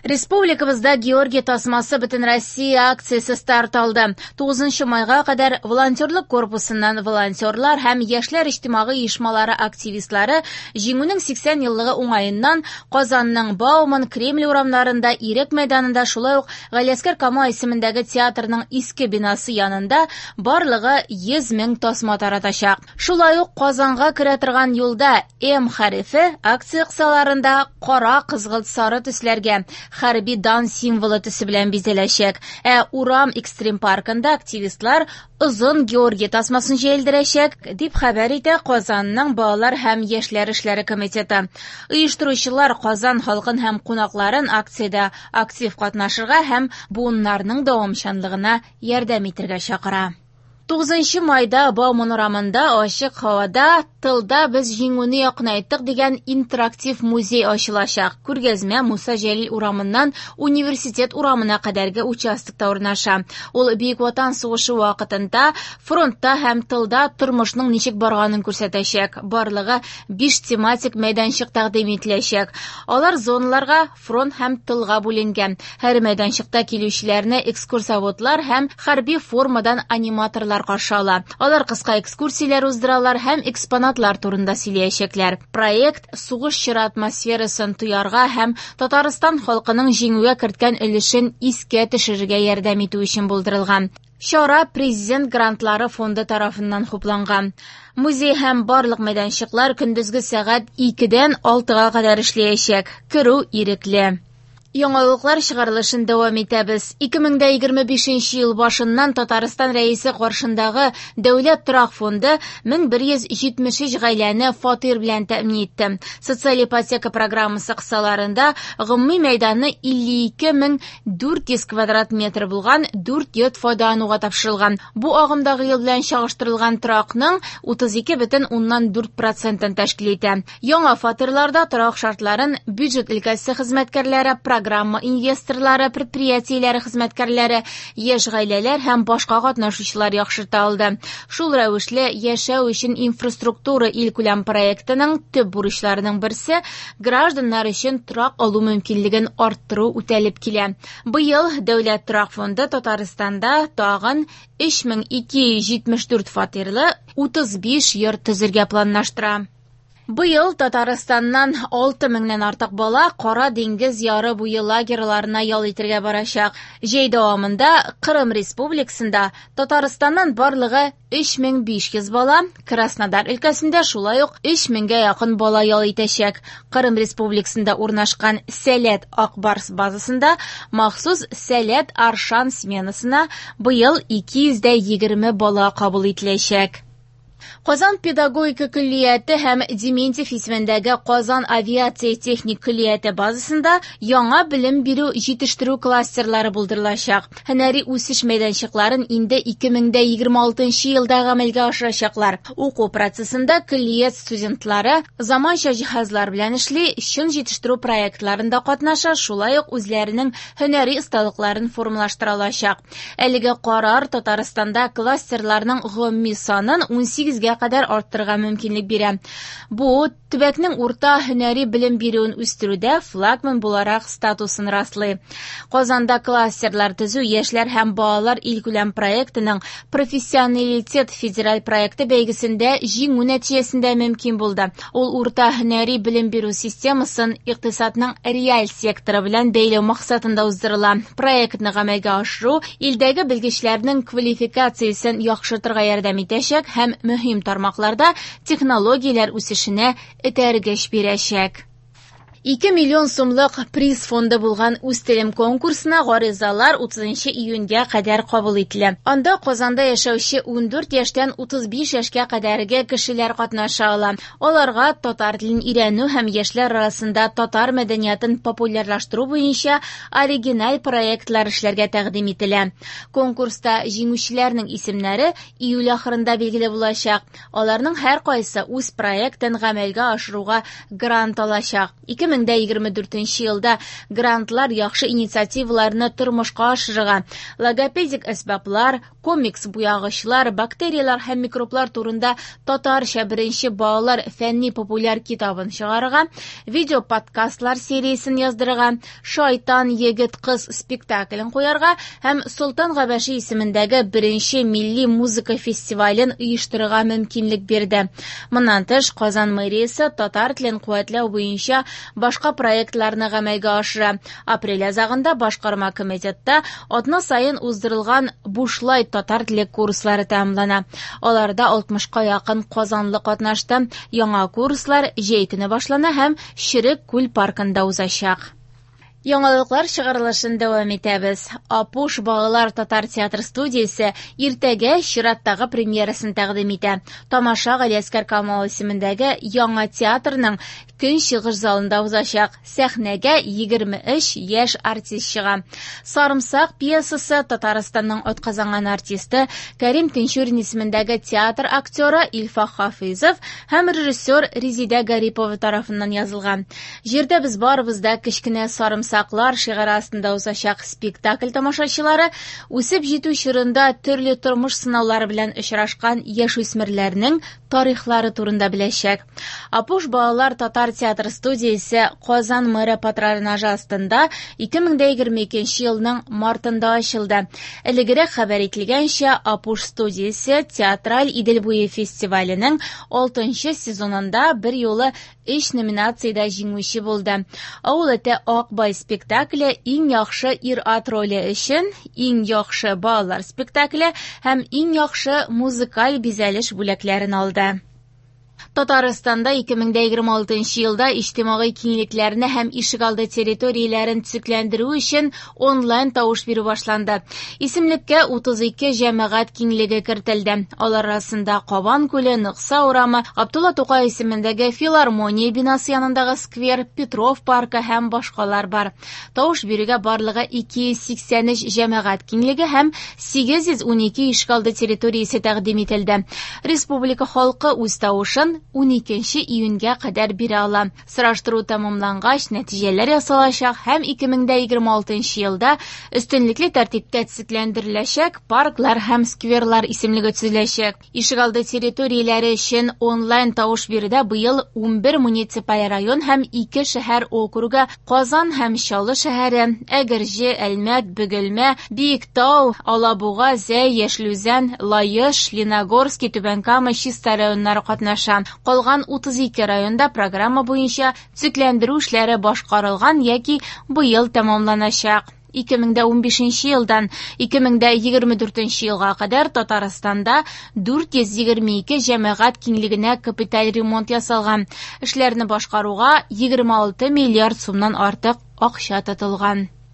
Республикабызда Георгий тасмасы Бөтенроссия акциясе старт алды. 9 майга кадәр волонтерлык корпусыннан волонтерлар һәм яшьләр иҗтимагый оешмалары активистлары Җиңүнең 80 еллыгы уңаеннан Казанның Бауман, Кремль урамнарында, Ирек мәйданында, шулай ук Галиәсгар Камал исемендәге театрның иске бинасы янында барлыгы 100 мең тасма таратачак. Шулай ук Казанга керә торган юлда М хәрефе акция кысаларында кара, кызгылт сары төсләргә хәрби дан символы төсе белән бизәләчәк. Ә урам экстрим паркында активистлар озын Георгий тасмасын җәелдерәчәк, дип хәбәр итә Казанның балалар һәм яшьләр эшләре комитеты. Оештыручылар Казан халкын һәм кунакларын акциядә актив катнашырга һәм буыннарның дәвамчанлыгына ярдәм итәргә чакыра. 9 майда Бауман урамында ачык һавада «Тылда без җиңүне якынайттык» дигән интерактив музей ачылачак. Күргәзмә Муса Җәлил урамыннан Университет урамына кадәрге участокта урнаша. Ул Бөек Ватан сугышы вакытында фронтта һәм тылда тормышның ничек барганын күрсәтәчәк. Барлыгы 5 тематик мәйданчык тәкъдим ителәчәк. Алар зоналарга, фронт һәм тылга бүленгән. Һәр мәйданчыкта килүчеләрне экскурсоводлар һәм хәрби формадан аниматорлар каршы ала. Алар кыска экскурсияләр уздыралар һәм экспонатлар турында сөйләячәкләр. Проект сугыш чоры атмосферасын тоярга һәм Татарстан халкының җиңүгә керткән өлешен искә төшерергә ярдәм итү өчен булдырылган. Чара Президент грантлары фонды тарафыннан хупланган. Музей һәм барлык мәйданчыклар көндезге сәгать 2-дән 6-га кадәр эшләячәк. Керү ирекле. Яңалыклар чыгарылышын дәвам итәбез. 2025 ел башыннан Татарстан Рәисе каршындагы Дәүләт торак фонды 1173 гаиләне фатир белән тәэмин итте. Социаль ипотека программасы кысаларында гомуми мәйданы 52400 квадрат метр булган 4 йорт файдалануга тапшырылган. Бу агымдагы ел белән чагыштырылган торакның 32,4%-ын тәшкил итә. Яңа фатирларда торак шартларын бюджет өлкәсе хезмәткәрләре, программа инвесторлары, предприятиеләре хезмәткәрләре, яшь гаиләләр һәм башка катнашучылар яхшырта алды. Шул рәвешле яшәү өчен инфраструктура илкүләм проектының төп бурычларының берсе гражданнар өчен торак алу мөмкинлеген арттыру үтәлеп килә. Быел Дәүләт торак фонды Татарстанда тагын 3274 фатирлы 35 йорт төзергә планлаштыра. Быел Татарстаннан 6000-нән артык бала Кара диңгез яры буе лагерьларына ял итәргә барачак. Җәй дәвамында Кырым Республикасында Татарстаннан барлыгы 3500 бала, Краснодар өлкәсендә шулай ук 3000гә якын бала ял итәчәк. Кырым Республикасында урнашкан Сәләт Ак Барс базасында махсус Сәләт Аршан сменасына быел 220 бала кабул ителәчәк. Казан педагогика көллияте һәм Дементьев исемендәге Казан авиация техник көллияте базасында яңа белем бирү җитештерү кластерлары булдырылачак. Һөнәри үсеш мәйданчыкларын инде 2026 елда гамәлгә ашырачаклар. Уку процессында көллият студентлары заманча җиһазлар белән эшли, чын җитештерү проектларында катнаша, шулай ук үзләренең һөнәри осталыкларын формалаштыра алачак. Әлеге карар Татарстанда кластерларның гомуми санын 18-гә кадәр арттырырга мөмкинлек бирә. Бу төбәкнең урта һөнәри белем бирүен үстерүдә флагман буларак статусын раслый. Казанда кластерлар төзү яшьләр һәм балалар илкүләм проектының Профессионалитет федераль проекты бәйгесендә җиңү нәтиҗәсендә мөмкин булды. Ул урта һөнәри белем бирү системасын икътисадның реаль секторы белән бәйләү максатында уздырыла. Проектны гамәлгә ашыру илдәге белгечләрнең квалификациясен яхшыртырга ярдәм итәчәк һәм мөһим тармакларда технологияләр үсешенә этәргеч бирәчәк. 2 миллион сумлык приз фонды булган Үз телем конкурсына гаризалар 30 июньгә кадәр кабул ителә. Анда Казанда яшәүче 14 яшьтән 35 яшькә кадәрге кешеләр катнаша ала. Аларга татар телен өйрәнү һәм яшьләр арасында татар мәдәниятын популярлаштыру буенча оригиналь проектлар эшләргә тәкъдим ителә. Конкурста җиңүчеләрнең исемнәре июль ахырында билгеле булачак. Аларның һәркайсы үз проектын гамәлгә ашыруга грант алачак. 2024 елда грантлар яхшы инициативаларны тормышка ашырырга, логопедик әсбаплар, комикс буягычлар, бактерияләр һәм микроблар турында татарча беренче балалар фәнни-популяр китабын чыгарырга, видео-подкастлар сериясен яздырырга, «Шайтан егет-кыз» спектаклен куярга һәм Солтан Габәши исемендәге беренче милли музыка фестивален оештырырга мөмкинлек бирде. Моннан тыш, Казан мэриясе татар телен куәтләү буенча башка проектларны гамәлгә ашыра. Апрель азагында башкарма комитетта атна саен уздырылган бушлай татар теле курслары тәмамлана. Аларда 60-ка якын казанлы катнашты. Яңа курслар җәй көне башлана һәм Черек күл паркында узачак. Яңалыклар чыгарылышын дәвам итәбез. Апуш балалар татар театр студиясе иртәгә чираттагы премьерасын тәкъдим итә. Тамаша Галиәсгар Камал исемендәге яңа театрның көнчыгыш залында узачак. Сәхнәгә 23 яшь артист чыга. Сарымсак пьесасы Татарстанның атказанган артисты Кәрим Тинчурин исемендәге театр актеры Илфак Хафизов һәм режиссер Резидә Гарипова тарафыннан язылган. Җирдә без барыбыз да кечкенә сарымсаклар шигаре астында узачак спектакль тамашачылары үсеп җитү чорында төрле тормыш сынаулары белән очрашкан яшүсмерләрнең тарихлары турында беләчәк. Апуш балалар татар театр студиясе Казан мэры патронажы астында 2022 елның мартында ачылды. Элегрәк хәбәр ителгәнчә, Апуш студиясе театраль Идел буе фестиваленең 6 сезонында бер юлы 3 номинациядә җиңүче булды. Авыл эте Акбай спектакле иң яхшы ир-ат роле өчен, иң яхшы балалар спектакле һәм иң яхшы музыкаль бизәлеш бүләкләрен алды. Татарстанда 2026 елда иҗтимагый киңлекләрне һәм ишегалды территорияләрен төзекләндерү өчен онлайн тавыш бирү башланды. Исемлеккә 32 җәмәгать киңлеге кертелде. Алар арасында Кабан күле, Нокса урамы, Габдулла Тукай исемендәге филармония бинасы янындагы сквер, Петров паркы һәм башкалар бар. Тавыш бирүгә барлыгы 283 җәмәгать киңлеге һәм 812 ишегалды территориясе тәкъдим ителде. Республика халкы үз тавышын 12 июньгә кадәр бирә ала. Сораштыру тәмамлангач, нәтиҗәләр ясалачак һәм 2026 елда өстенлекле тәртиптә төзекләндереләчәк парклар һәм скверлар исемлеге төзеләчәк. Ишегалды территорияләре өчен онлайн тавыш бирүдә быел 11 муниципаль район һәм 2 шәһәр округы Казан һәм Чаллы шәһәре, Әгерҗе, Әлмәт, Бөгелмә, Биектау, Алабуга, Зәй, Яшел Үзән, Лаеш, Леногорский, Түбән Кама, Чистай районнары катнаша. Калган 32 районда программа буенча төзекләндерү эшләре башкарылган яки быел тәмамланачак. 2015 елдан 2024 елга кадәр Татарстанда 422 җәмәгать киңлегенә капиталь ремонт ясалган. Эшләрне башкаруга 26 миллиард сумнан артык акча тотылган.